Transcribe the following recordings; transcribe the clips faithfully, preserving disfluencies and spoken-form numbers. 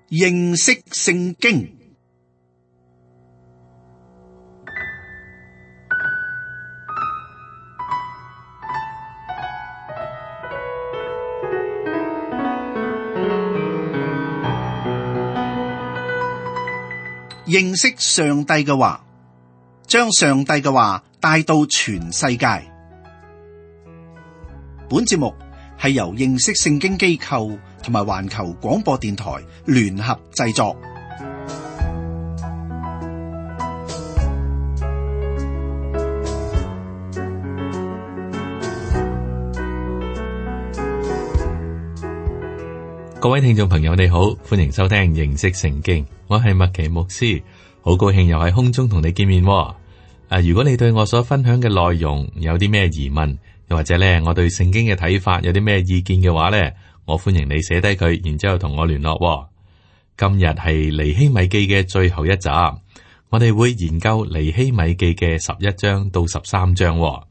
認識聖經。認識上帝嘅話，將上帝嘅話帶到全世界。本節目係由認識聖經機構同埋環球廣播電台聯合製作。各位聽眾朋友，你好，歡迎收聽認識聖經。我係麥奇牧師，好高興又喺空中同你見面。啊，如果你對我所分享嘅內容有啲咩疑問，又或者咧我對聖經嘅睇法有啲咩意見嘅話咧，我歡迎你寫低佢，然之後同我聯絡。今日係尼希米記嘅最後一集，我哋會研究尼希米記嘅十一章到十三章。咁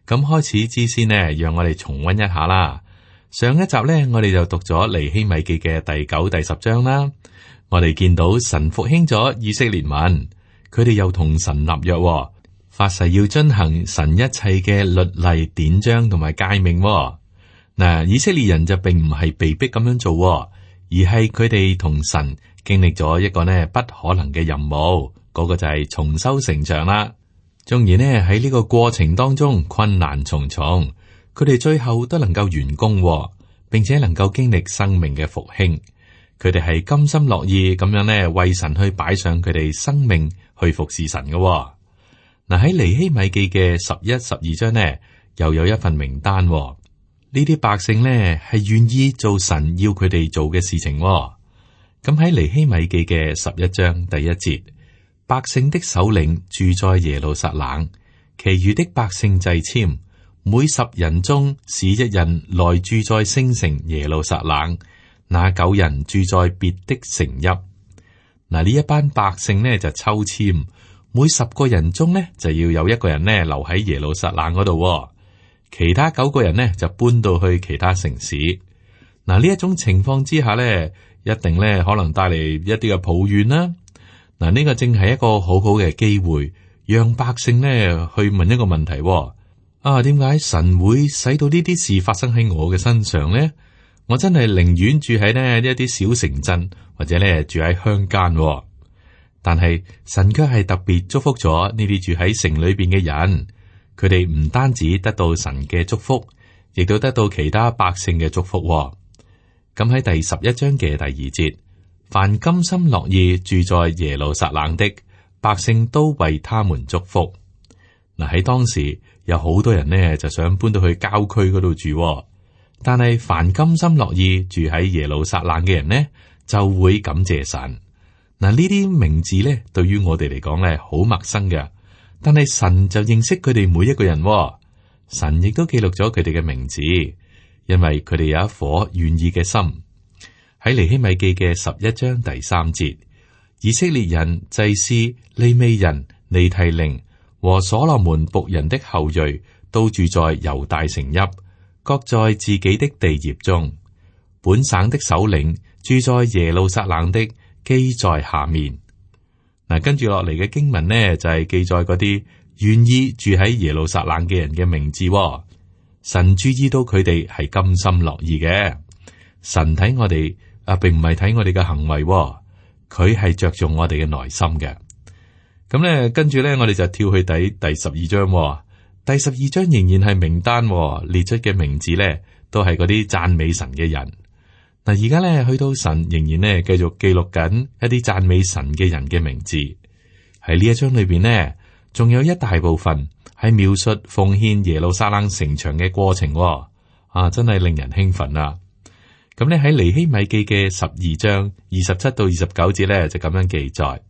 開始之先呢，讓我哋重溫一下啦。上一集咧，我哋就讀咗尼希米記嘅第九、第十章啦。我哋見到神復興咗以色列民，佢哋又同神立約，發誓要遵行神一切嘅律例典章同埋誡命。嗱，以色列人就並唔係被逼咁樣做，而係佢哋同神經歷咗一個呢不可能嘅任務，嗰個就係重修城牆啦。縱然呢喺呢個過程當中困難重重，佢哋最後都能夠完工，並且能夠經歷生命嘅復興。佢哋係甘心樂意咁樣呢，為神去擺上佢哋生命去服侍神嘅。嗱，喺尼希米記嘅十一、十二章呢，又有一份名單。呢啲百姓呢係願意做神要佢哋做嘅事情。咁喺尼希米記嘅十一章第一節，百姓的首領住在耶路撒冷，其餘的百姓掣籤，每十人中使一人來住在聖城耶路撒冷，那九人住在別的城邑。嗱，呢一班百姓呢就抽籤，每十個人中呢就要有一個人呢留喺耶路撒冷嗰度，其他九個人呢就搬到去其他城市。嗱，呢一種情況之下呢，一定呢可能帶嚟一啲嘅抱怨啦。嗱，呢個正係一個好好嘅機會，讓百姓呢去問一個問題：啊，點解神會使到呢啲事發生喺我嘅身上呢？我真係寧願住喺呢一啲小城鎮，或者咧住喺鄉間。但係神卻係特別祝福咗呢啲住喺城裏邊嘅人，佢哋唔單止得到神嘅祝福，亦都得到其他百姓嘅祝福。咁喺第十一章嘅第二節，凡甘心樂意住在耶路撒冷的百姓，都為他們祝福。嗱，喺當時有好多人呢就想搬到去郊區嗰度住。但係凡甘心樂意住喺耶路撒冷嘅人呢，就會感謝神。嗱，呢啲名字咧，對於我哋嚟講咧，好陌生嘅。但係神就認識佢哋每一個人，神亦都記錄咗佢哋嘅名字，因為佢哋有一顆願意嘅心。喺尼希米記嘅十一章第三節，以色列人、祭司、利未人、尼提寧和所羅門僕人的後裔，都住在猶大城邑，各在自己的地業中。本省的首領住在耶路撒冷的，記在下面。嗱，跟住落嚟嘅經文呢，就係、是、記載嗰啲願意住喺耶路撒冷嘅人嘅名字。神注意到佢哋係甘心樂意嘅。神睇我哋啊，並唔係睇我哋嘅行為，佢係着重我哋嘅內心嘅。咁咧，跟住咧，我哋就跳去第第十二章。第十二章仍然係名單，列出嘅名字咧，都係嗰啲讚美神嘅人。嗱，而家咧去到神仍然咧繼續記錄緊一啲讚美神嘅人嘅名字。喺呢一章裏邊呢，仲有一大部分係描述奉獻耶路撒冷城牆嘅過程。啊，真係令人興奮啊！咁咧喺尼希米記嘅十二章二十七到二十九節咧就咁樣記載：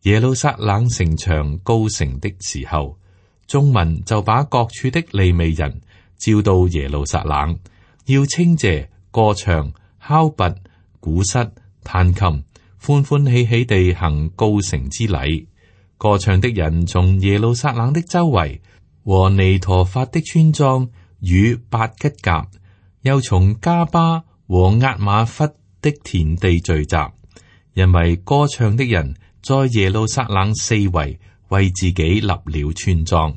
耶路撒冷城牆高成的時候，眾民就把各處的利未人召到耶路撒冷，要稱謝、歌唱、敲鈸、鼓瑟、彈琴，歡歡喜喜地行告成之禮。歌唱的人從耶路撒冷的周圍和尼陀法的村莊與伯吉甲，又從加巴和押瑪弗的田地聚集，因為歌唱的人在耶路撒冷四圍為自己立了村莊。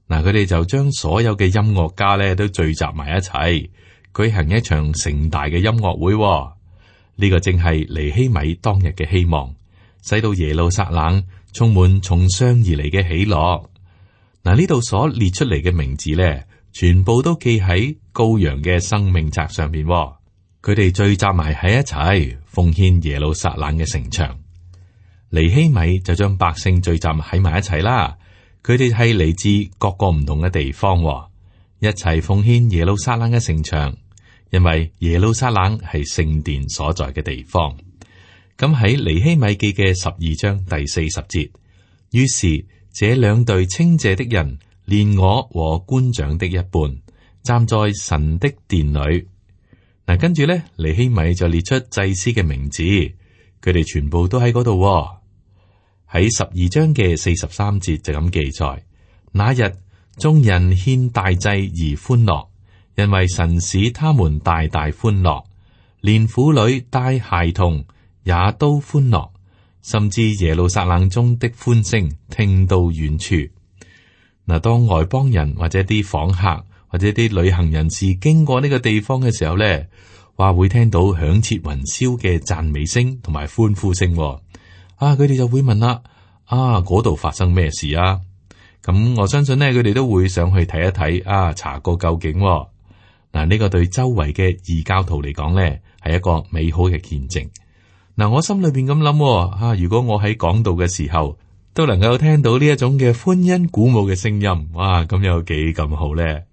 嗱，佢哋就將所有嘅音樂家咧都聚集埋一齊，舉行一場盛大嘅音樂會。呢個正係尼希米當日嘅希望，使到耶路撒冷充滿從上而嚟嘅喜樂。嗱，呢度所列出嚟嘅名字咧，全部都記喺羔羊嘅生命冊上邊。佢哋聚集埋喺一齊，奉獻耶路撒冷嘅城牆。尼希米就將百姓聚集喺埋一齊啦。佢哋係嚟自各個唔同嘅地方，一齊奉獻耶路撒冷嘅城牆，因為耶路撒冷係聖殿所在嘅地方。咁喺尼希米記嘅十二章第四十節，於是這兩隊稱謝的人，連我和官長的一半，站在神的殿裏。嗱，跟住咧，尼希米就列出祭司嘅名字，佢哋全部都喺嗰度。喺十二章嘅四十三節就咁記載：那日眾人獻大祭而歡樂，因為神使他們大大歡樂，連婦女帶孩童也都歡樂，甚至耶路撒冷中的歡聲聽到遠處。嗱，當外邦人或者啲訪客或者啲旅行人士經過呢個地方嘅時候咧，話會聽到響徹雲霄嘅讚美聲同埋歡呼聲。啊，佢哋就會問啦：啊，嗰度發生咩事啊？咁我相信呢，佢哋都會上去睇一睇，啊，查個究竟。嗱，呢個對周圍嘅異教徒嚟講呢，係一個美好嘅見證。嗱，我心裏邊咁諗，啊，如果我喺講道嘅時候都能夠聽到呢一種嘅歡欣鼓舞嘅聲音，哇，咁有幾咁好咧？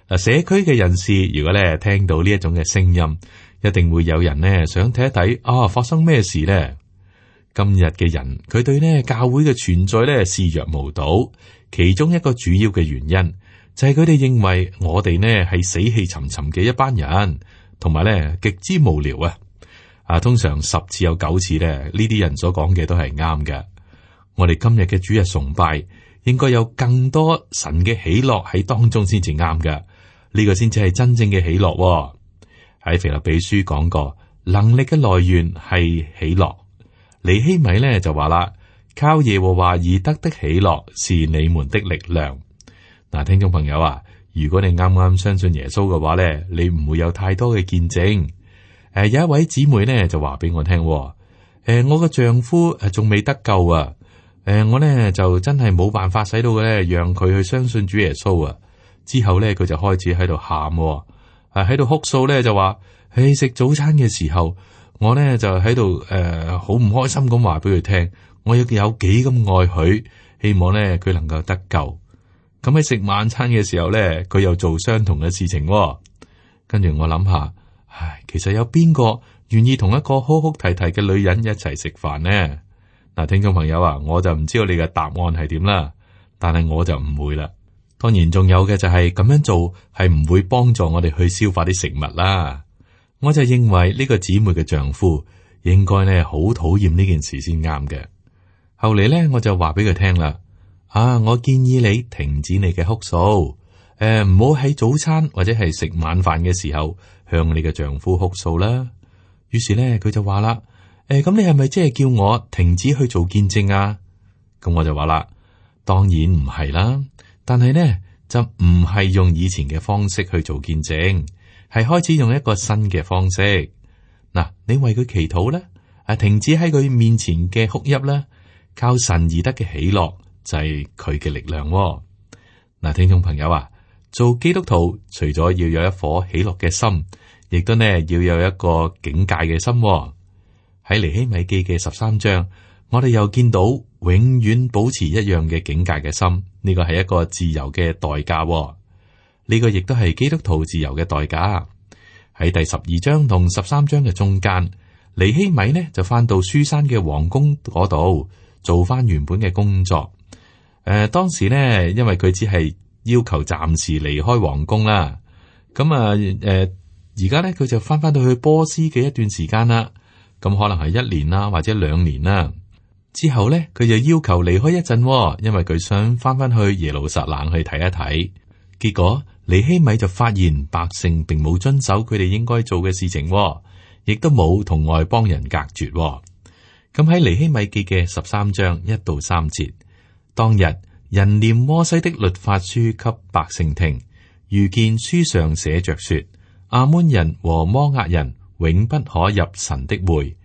嗱，社區嘅人士如果咧聽到呢一種嘅聲音，一定會有人呢想睇一睇，啊，發生咩事咧？今日嘅人，佢對呢教會嘅存在咧視若無睹，其中一個主要嘅原因就係佢哋認為我哋呢係死氣沉沉嘅一班人，同埋咧極之無聊啊！啊，通常十次有九次咧，呢啲人所講嘅都係啱嘅。我哋今日嘅主日崇拜應該有更多神嘅喜樂喺當中先至啱嘅，呢個先至係真正嘅喜樂。喺腓立比書講過，能力嘅來源係喜樂。尼希米咧就話啦，靠耶和華而得的喜樂是你們的力量。嗱，聽眾朋友啊，如果你啱啱相信耶穌嘅話咧，你唔會有太多嘅見證。誒、呃，有一位姊妹咧就話俾我聽，誒、呃，我個丈夫誒仲未得救啊，誒、呃，我咧就真係冇辦法使到嘅咧，讓佢去相信主耶穌啊。之後咧佢就開始喺度喊，誒喺度哭訴咧就話，誒食早餐嘅時候。我咧就喺度誒，好、呃、唔開心咁話俾佢聽，我有有幾咁愛佢，希望咧佢能夠得救。咁喺食晚餐嘅時候咧，佢又做相同嘅事情、哦。跟住我諗下，唉，其實有邊個願意同一個哭哭啼啼嘅女人一齊食飯呢？嗱，聽眾朋友啊，我就唔知道你嘅答案係點啦，但係我就唔會啦。當然，仲有嘅就係咁樣做係唔會幫助我哋去消化啲食物啦。我就認為呢個姊妹嘅丈夫應該咧好討厭呢件事先啱嘅。後嚟咧，我就話俾佢聽啦，啊，我建議你停止你嘅哭訴，誒，唔好喺早餐或者係食晚飯嘅時候向你嘅丈夫哭訴啦。於是咧，佢就話啦，誒，咁你係咪即係叫我停止去做見證啊？咁我就話啦，當然唔係啦，但係呢，就唔係用以前嘅方式去做見證。係開始用一個新嘅方式，嗱，你為佢祈禱咧，啊，停止喺佢面前嘅哭泣啦，靠神而得嘅喜樂就係佢嘅力量。嗱，聽眾朋友啊，做基督徒除咗要有一顆喜樂嘅心，亦都呢要有一個警戒嘅心。喺尼希米記嘅十三章，我哋又見到永遠保持一樣嘅警戒嘅心，呢個係一個自由嘅代價。呢個亦都係基督徒自由嘅代價。喺第十二章同十三章嘅中間，尼希米呢就翻到書珊嘅皇宮嗰度做翻原本嘅工作。誒、呃，當時呢，因為佢只係要求暫時離開皇宮啦。咁啊，誒、呃，而家呢，佢就翻翻到去波斯嘅一段時間啦。咁可能係一年啦，或者兩年啦。之後呢，佢就要求離開一陣，因為佢想翻翻去耶路撒冷去睇一睇。結果。尼希米就發現百姓並冇遵守佢哋應該做嘅事情，亦都冇同外邦人隔絕。咁喺尼希米記嘅十三章一到三節，當日人念摩西的律法書給百姓聽，遇見書上寫着說，亞捫人和摩押人永不可入神的會，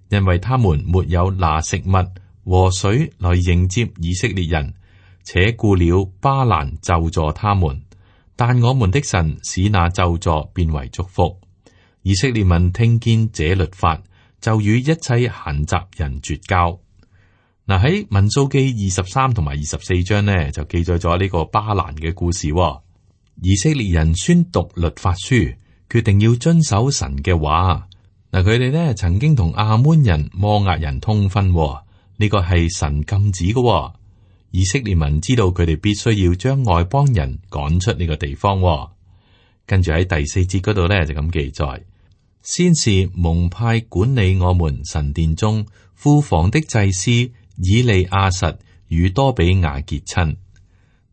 因為他們沒有拿食物和水來迎接以色列人，且雇了巴蘭咒詛他們。但我們的神使那咒詛變為祝福。以色列民聽見這律法，就與一切閒雜人絕交。嗱，喺民數記二十三同埋二十四章呢，就記載咗呢個巴蘭嘅故事。以色列人宣讀律法書，決定要遵守神嘅話。嗱，佢哋呢曾經同亞捫人、摩押人通婚，呢個係神禁止嘅。以色列民知道佢哋必須要將外邦人趕出呢個地方。跟住喺第四節嗰度呢，就咁記載。先是蒙派管理我們神殿中庫房的祭司以利亞實與多比亞結親。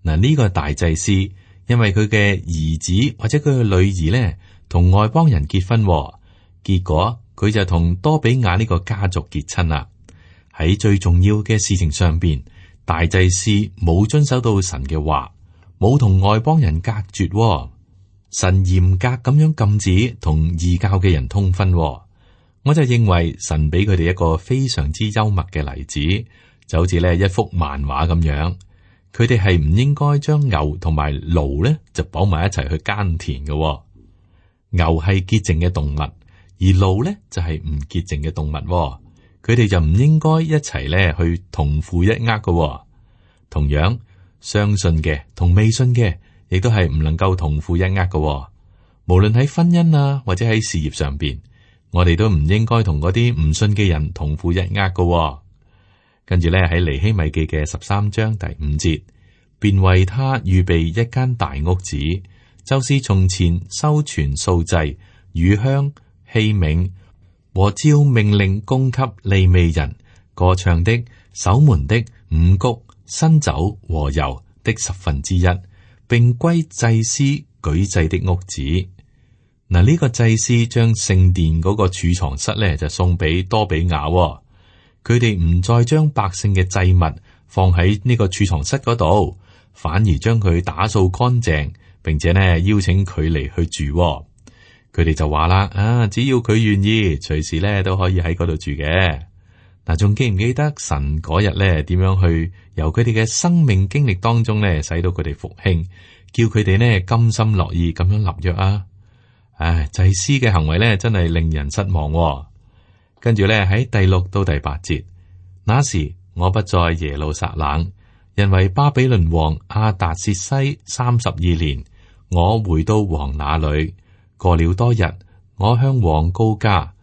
嗱，呢個大祭司因為佢嘅兒子或者佢嘅女兒呢同外邦人結婚，結果佢就同多比亞呢個家族結親啦。喺最重要嘅事情上邊，大祭司冇遵守到神嘅話，冇同外邦人隔絕。神嚴格咁樣禁止同異教嘅人通婚。我就認為神俾佢哋一個非常之幽默嘅例子，就好似咧一幅漫畫咁樣。佢哋係唔應該將牛同埋驢咧就綁埋一齊去耕田嘅。牛係潔淨嘅動物，而驢咧就係唔潔淨嘅動物。佢哋就唔應該一齊咧去同負一軛嘅。同樣，相信嘅同未信嘅，亦都係唔能夠同負一軛嘅。無論喺婚姻啊，或者喺事業上邊，我哋都唔應該同嗰啲唔信嘅人同負一軛嘅。跟住咧喺尼希米記嘅十三章第五節，便為他預備一間大屋子，就是從前收存素祭、乳香、器皿和照命令供給利未人、歌唱的、守門的、五穀、新酒和油的十分之一，並歸祭司舉祭的屋子。嗱，呢個祭司將聖殿嗰個儲藏室咧就送俾多比亞。佢哋唔再將百姓嘅祭物放喺呢個儲藏室嗰度，反而將佢打掃乾淨，並且呢邀請佢嚟去住。佢哋就話啦，啊，只要佢願意，隨時咧都可以喺嗰度住嘅。嗱，仲記唔記得神嗰日咧點樣去由佢哋嘅生命經歷當中咧使到佢哋復興，叫佢哋呢甘心樂意咁樣立約啊？唉，祭司嘅行為咧真係令人失望。跟住咧喺第六到第八節，那時我不在耶路撒冷，因為巴比倫王亞達薛西三十二年，我回到王那裏。過了多日，我向王告假，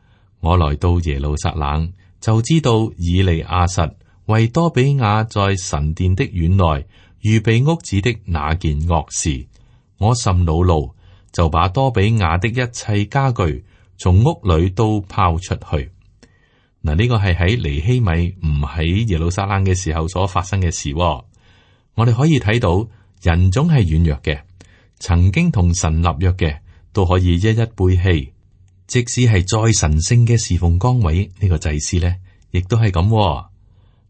我來到耶路撒冷，就知道以利亞實為多比亞在神殿的院內預備屋子的那件惡事，我甚惱怒，就把多比亞的一切家具從屋裏都拋出去。嗱，呢個係喺尼希米唔喺耶路撒冷嘅時候所發生嘅事。我哋可以睇到人總係軟弱嘅，曾經同神立約嘅都可以一一背棄，即使係再神聖嘅侍奉崗位，呢、這個祭司呢亦都係咁。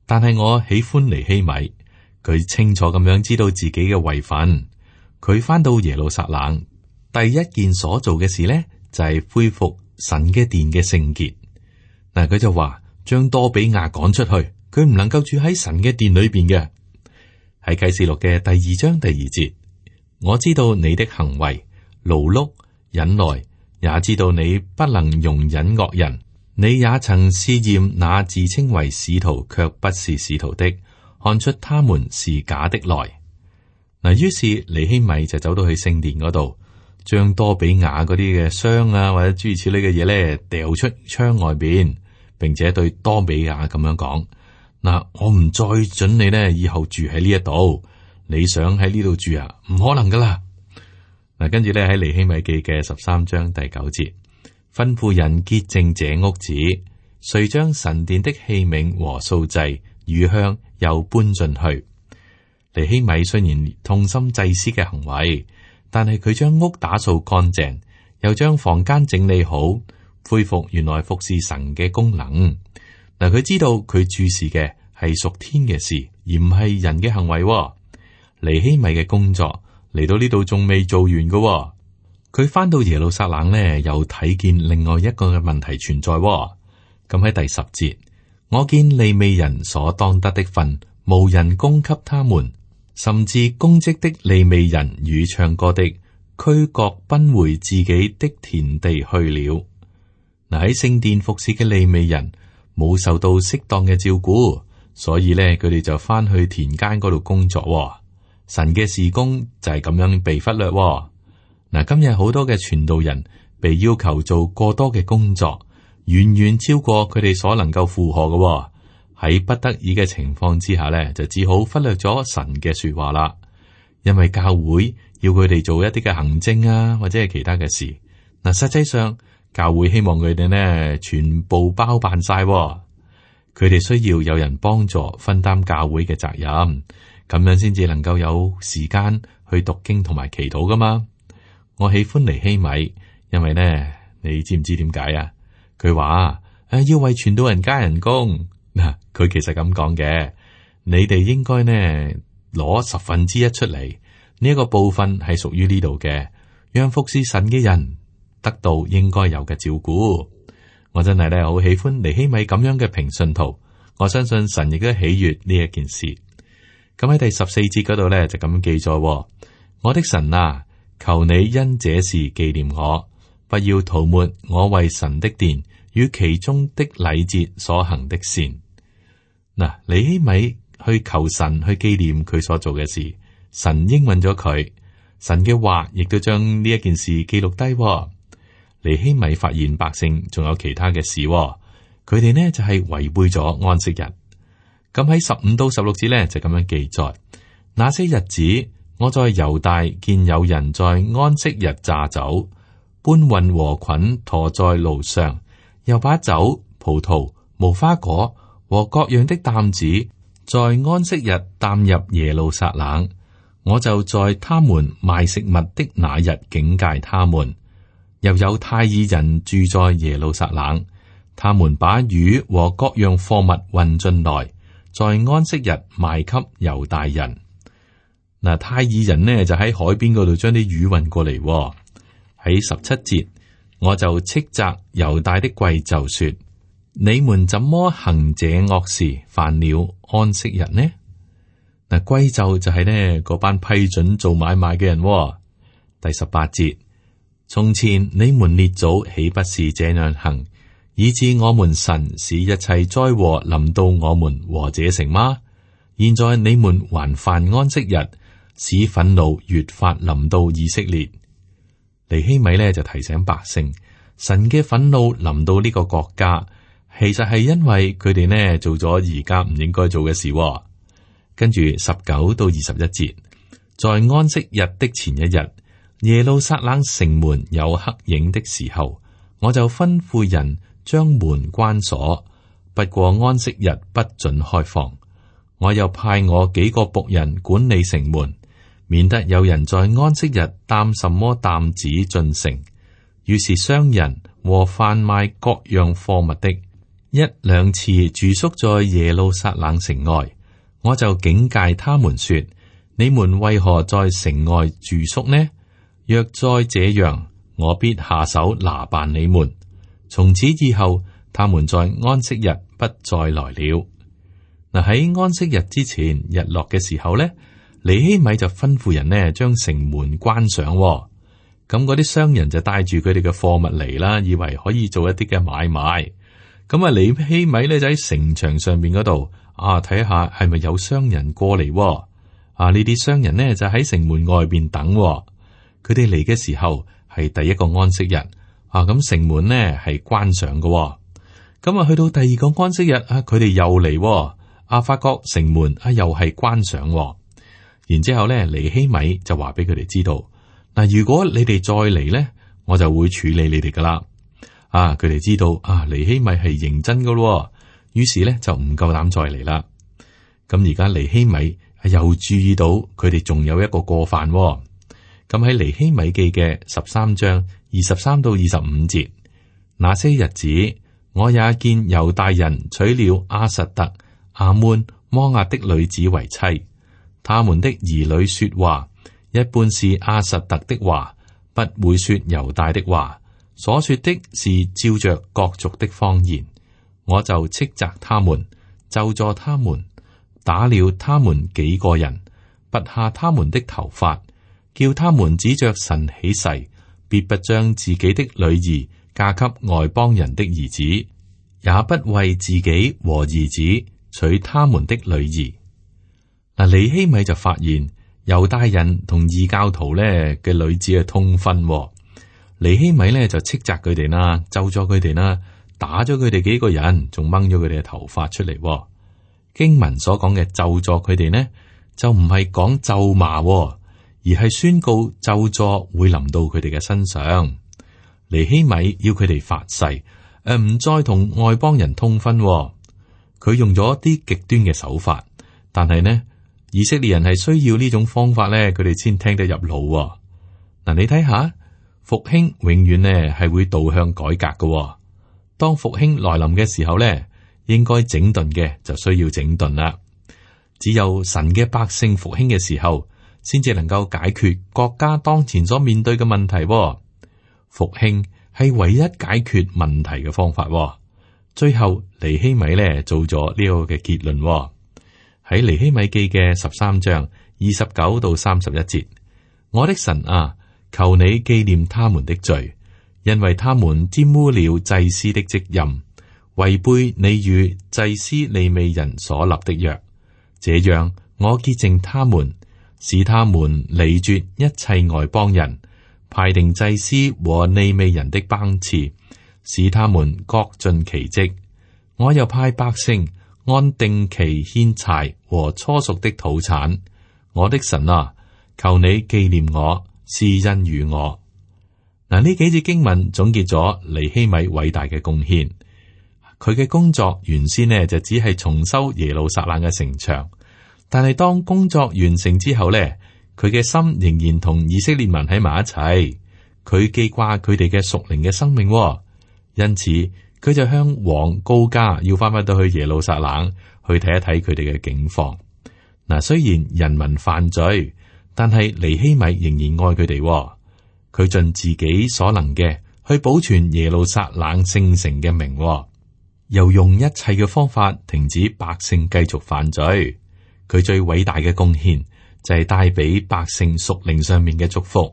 但係我喜歡尼希米，佢清楚咁樣知道自己嘅位份。佢返到耶路撒冷，第一件所做嘅事呢，就係、是、恢復神嘅殿嘅聖潔。嗱，佢就話將多比亞趕出去，佢唔能夠住喺神嘅殿裏邊嘅。喺啟示錄嘅第二章第二節，我知道你的行為勞碌忍耐，也知道你不能容忍惡人。你也曾試驗那自稱為使徒卻不是使徒的，看出他們是假的來。嗱，於是尼希米就走到去聖殿嗰度，將多比亞嗰啲嘅箱啊或者諸如此類嘅嘢咧掉出窗外邊，並且對多比亞咁樣講：嗱，我唔再准你呢以後住喺呢一度，你想喺呢度住啊，唔可能噶啦。嗱，跟住咧喺尼希米記嘅十三章第九節，吩咐人潔淨這屋子，遂將神殿的器皿和素祭、乳香又搬進去。尼希米雖然痛心祭司嘅行為，但係佢將屋打掃乾淨，又將房間整理好，恢復原來服侍神嘅功能。嗱，佢知道佢注視嘅係屬天嘅事，而唔係人嘅行為。尼希米嘅工作嚟到呢度仲未做完嘅，佢翻到耶路撒冷呢，又睇見另外一個嘅問題存在。咁喺第十節，我見利未人所當得的份，無人供給他們，甚至公職的利未人與唱歌的，俱各奔回自己的田地去了。嗱，喺聖殿服侍嘅利未人冇受到適當嘅照顧，所以咧佢哋就翻去田間嗰度工作。神嘅事工就係咁樣被忽略。嗱，今日好多嘅傳道人被要求做過多嘅工作，遠遠超過佢哋所能夠負荷嘅。喺不得已嘅情況之下咧，就只好忽略咗神嘅說話啦。因為教會要佢哋做一啲嘅行政啊，或者係其他嘅事。嗱，實際上教會希望佢哋呢全部包辦晒，佢哋需要有人幫助分擔教會嘅責任，咁樣先至能夠有時間去讀經同埋祈禱噶嘛。我喜歡尼希米，因為呢，你知唔知點解啊？佢話誒要為傳道人加人工。嗱，佢其實咁講嘅，你哋應該呢攞十分之一出嚟，呢一個部分係屬於呢度嘅，讓服侍神嘅人得到應該有嘅照顧。我真係咧好喜歡尼希米咁樣嘅平信徒，我相信神亦都喜悅呢一件事。咁喺第十四節嗰度咧就咁記載：我的神啊，求你因這事紀念我，不要塗抹我為神的殿與其中的禮節所行的善。嗱，尼希米去求神去紀念佢所做嘅事，神應允咗佢，神嘅話亦都將呢一件事記錄低。尼希米發現百姓仲有其他嘅事，佢哋呢就係違背咗安息日。咁喺十五到十六節呢就咁樣記載：那些日子，我在猶大見有人在安息日榨酒，搬運禾捆馱在路上，又把酒、葡萄、無花果和各樣的擔子在安息日擔入耶路撒冷。我就在他們賣食物的那日警戒他們。又有泰爾人住在耶路撒冷，他們把魚和各樣貨物運進來，在安息日賣給猶大人。嗱，泰爾人呢就喺海邊嗰度將啲魚運過嚟。喺十七節，我就斥責猶大的貴冑說：你們怎麼行這惡事，犯了安息日呢？嗱，貴冑就係呢嗰班批准做買賣嘅人。第十八節，從前你們列祖豈不是這樣行，以致我們神使一切災禍臨到我們和這城嗎？現在你們還犯安息日，使憤怒越發臨到以色列。尼希米呢就提醒百姓，神嘅憤怒臨到呢個國家，其實係因為佢哋呢做咗而家唔應該做嘅事。跟住十九到二十一節，在安息日的前一日，耶路撒冷城門有黑影的時候，我就吩咐人將門關鎖，不過安息日不准開放。我又派我幾個僕人管理城門，免得有人在安息日擔什麼擔子進城。於是商人和販賣各樣貨物的一兩次住宿在耶路撒冷城外，我就警戒他們說：你們為何在城外住宿呢？若再這樣，我必下手拿辦你們。從此以後，他們在安息日不再來了。嗱，喺安息日之前，日落嘅時候呢，尼希米就吩咐人呢將城門關上。咁嗰啲商人就帶住佢哋嘅貨物嚟啦，以為可以做一啲嘅買賣。咁啊，尼希米呢就喺城牆上面嗰度啊，睇下係咪有商人過嚟。啊，呢啲商人呢就喺城門外邊等。佢哋嚟嘅時候係第一個安息日啊，咁城門呢係關上嘅。咁啊，去到第二個安息日啊，佢哋又嚟。啊，發覺城門啊又係關上。然之後咧，尼希米就話俾佢哋知道，嗱，如果你哋再嚟咧，我就會處理你哋噶啦。啊，佢哋知道啊，尼希米係認真噶咯，於是咧就唔夠膽再嚟啦。咁而家尼希米又注意到佢哋仲有一個過犯。咁喺尼希米記嘅十三章二十三到二十五節，那些日子我也見猶大人娶了亞實突、亞捫、摩押的女子為妻，他們的兒女說話，一般是亞實突的話，不會說猶大的話，所說的是照着各族的方言。我就斥責他們，咒詛他們，打了他們幾個人，拔下他們的頭髮，叫他們指着神起誓，必不將自己的女兒嫁給外邦人的兒子，也不為自己和兒子娶他們的女兒。嗱，尼希米就發現猶大人同異教徒咧嘅女子係通婚，尼希米咧就斥責佢哋啦，咒咗佢哋啦，打咗佢哋幾個人，仲掹咗佢哋嘅頭髮出嚟。經文所講嘅咒詛佢哋呢，就唔係講咒罵，而係宣告咒詛會臨到佢哋嘅身上。尼希米要佢哋發誓，誒、呃、唔再同外邦人通婚。佢用咗啲極端嘅手法，但係呢，以色列人係需要呢種方法咧，佢哋先聽得入腦。嗱，你睇下，復興永遠呢係會導向改革嘅。當復興來臨嘅時候咧，應該整頓嘅就需要整頓啦。只有神嘅百姓復興嘅時候，先至能夠解決國家當前所面對嘅問題。復興係唯一解決問題嘅方法。最後尼希米咧做咗呢個嘅結論，喺尼希米記嘅十三章二十九到三十一節，我的神啊，求你紀念他們的罪，因為他們玷污了祭司的職任，違背你與祭司利未人所立的約。這樣我潔淨他們，使他們離絕一切外邦人，派定祭司和利未人的班次，使他們各盡其職。我又派百姓按定期獻柴和初熟的土產。我的神啊，求你紀念我，施恩與我。嗱，呢幾節經文總結咗尼希米偉大嘅貢獻。佢嘅工作原先呢就只係重修耶路撒冷嘅城牆，但係當工作完成之後呢，佢嘅心仍然同以色列民喺埋一齊。佢記掛佢哋嘅屬靈嘅生命，因此佢就向王告假，要翻返到去耶路撒冷去睇一睇佢哋嘅境況。嗱，雖然人民犯罪，但係尼希米仍然愛佢哋。佢盡自己所能嘅去保存耶路撒冷聖城嘅名，又用一切嘅方法停止百姓繼續犯罪。佢最偉大嘅貢獻就係帶俾百姓屬靈上面嘅祝福。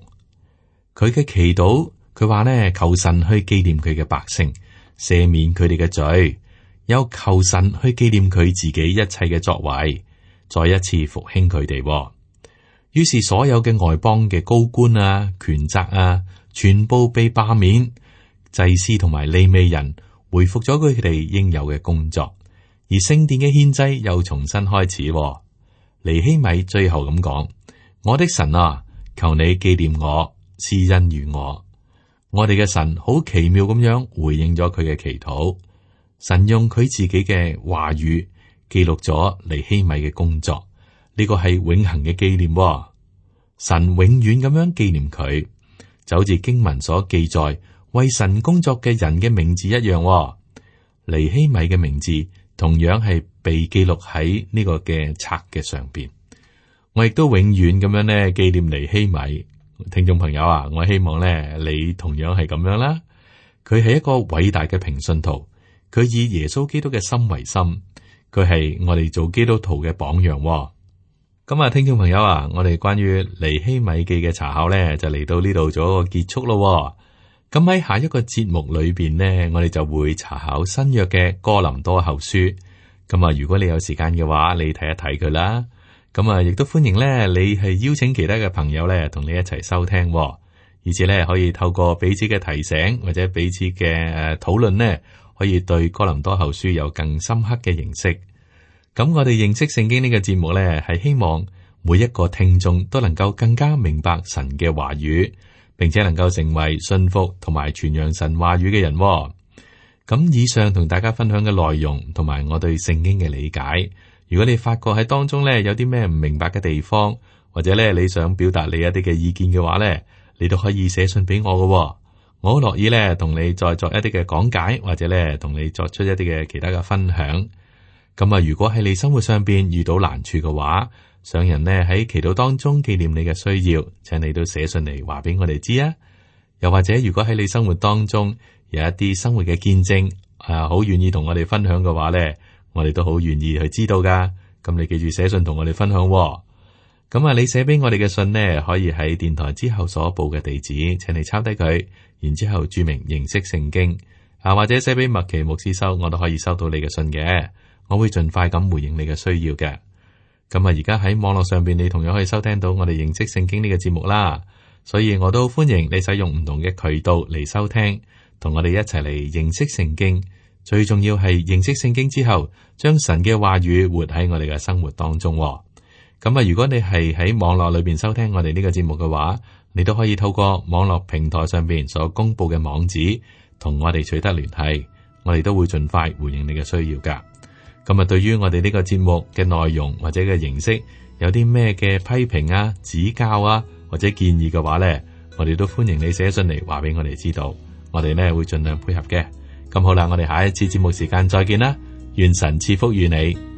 佢嘅祈禱，佢話呢，求神去紀念佢嘅百姓，赦免佢哋嘅罪，又求神去紀念佢自己一切嘅作為，再一次復興佢哋。於是所有嘅外邦嘅高官啊、權責啊，全部被罷免，祭司同埋利未人回復咗佢哋應有嘅工作，而聖殿嘅獻祭又重新開始。尼希米最後咁講：我的神啊，求你紀念我，施恩於我。我哋嘅神好奇妙咁樣回應咗佢嘅祈禱。神用佢自己嘅話語記錄咗尼希米嘅工作。呢個係永恆嘅紀念，神永遠咁樣紀念佢，就好似經文所記載為神工作嘅人嘅名字一樣。尼希米嘅名字同樣係被記錄喺呢個嘅冊嘅上邊。我亦都永遠咁樣咧紀念尼希米。聽眾朋友啊，我希望咧你同樣係咁樣啦。佢係一個偉大嘅平信徒，佢以耶穌基督嘅心為心，佢係我哋做基督徒嘅榜樣。咁啊，聽眾朋友啊，我哋關於尼希米記嘅查考咧，就嚟到呢度做一個結束咯。咁喺下一個節目裏邊呢，我哋就會查考新約嘅哥林多後書。咁啊，如果你有時間嘅話，你睇一睇佢啦。咁啊，亦都歡迎咧，你係邀請其他嘅朋友咧，同你一齊收聽，而且咧可以透過彼此嘅提醒或者彼此嘅誒討論呢，可以對哥林多後書有更深刻嘅認識。咁我哋認識聖經呢個節目呢，係希望每一個聽眾都能夠更加明白神嘅話語，並且能夠成為信服同埋傳揚神話語嘅人。咁以上同大家分享嘅內容，同埋我對聖經嘅理解，如果你發覺喺當中呢有啲咩唔明白嘅地方，或者呢你想表達你一啲嘅意見嘅話呢，你都可以寫信俾我㗎。我好樂意咧同你再作一啲嘅講解，或者咧同你作出一啲嘅其他嘅分享。咁啊，如果喺你生活上邊遇到難處嘅話，想人呢喺祈禱當中紀念你嘅需要，請你都寫信嚟話俾我哋知啊。又或者如果喺你生活當中有一啲生活嘅見證，啊，好願意同我哋分享嘅話咧，我哋都好願意去知道噶。咁你記住寫信同我哋分享喎。咁啊，你寫俾我哋嘅信呢，可以喺電台之後所報嘅地址，請你抄低佢，然之後注明認識聖經啊，或者寫俾麥奇牧師收，我都可以收到你嘅信嘅。我會盡快咁回應你嘅需要嘅。咁啊，而家喺網絡上邊，你同樣可以收聽到我哋認識聖經呢個節目啦。所以我都歡迎你使用唔同嘅渠道嚟收聽，同我哋一齊嚟認識聖經。最重要係認識聖經之後，將神嘅話語活喺我哋嘅生活當中。咁啊，如果你係喺網絡裏邊收聽我哋呢個節目嘅話，你都可以透過網絡平台上邊所公布嘅網址，同我哋取得聯繫。我哋都會盡快回應你嘅需要噶。咁啊，對於我哋呢個節目嘅內容或者嘅形式，有啲咩嘅批評啊、指教啊或者建議嘅話呢，我哋都歡迎你寫信嚟話俾我哋知道。我哋呢會盡量配合嘅。咁好啦，我哋下一次節目時間再見啦。願神賜福於你。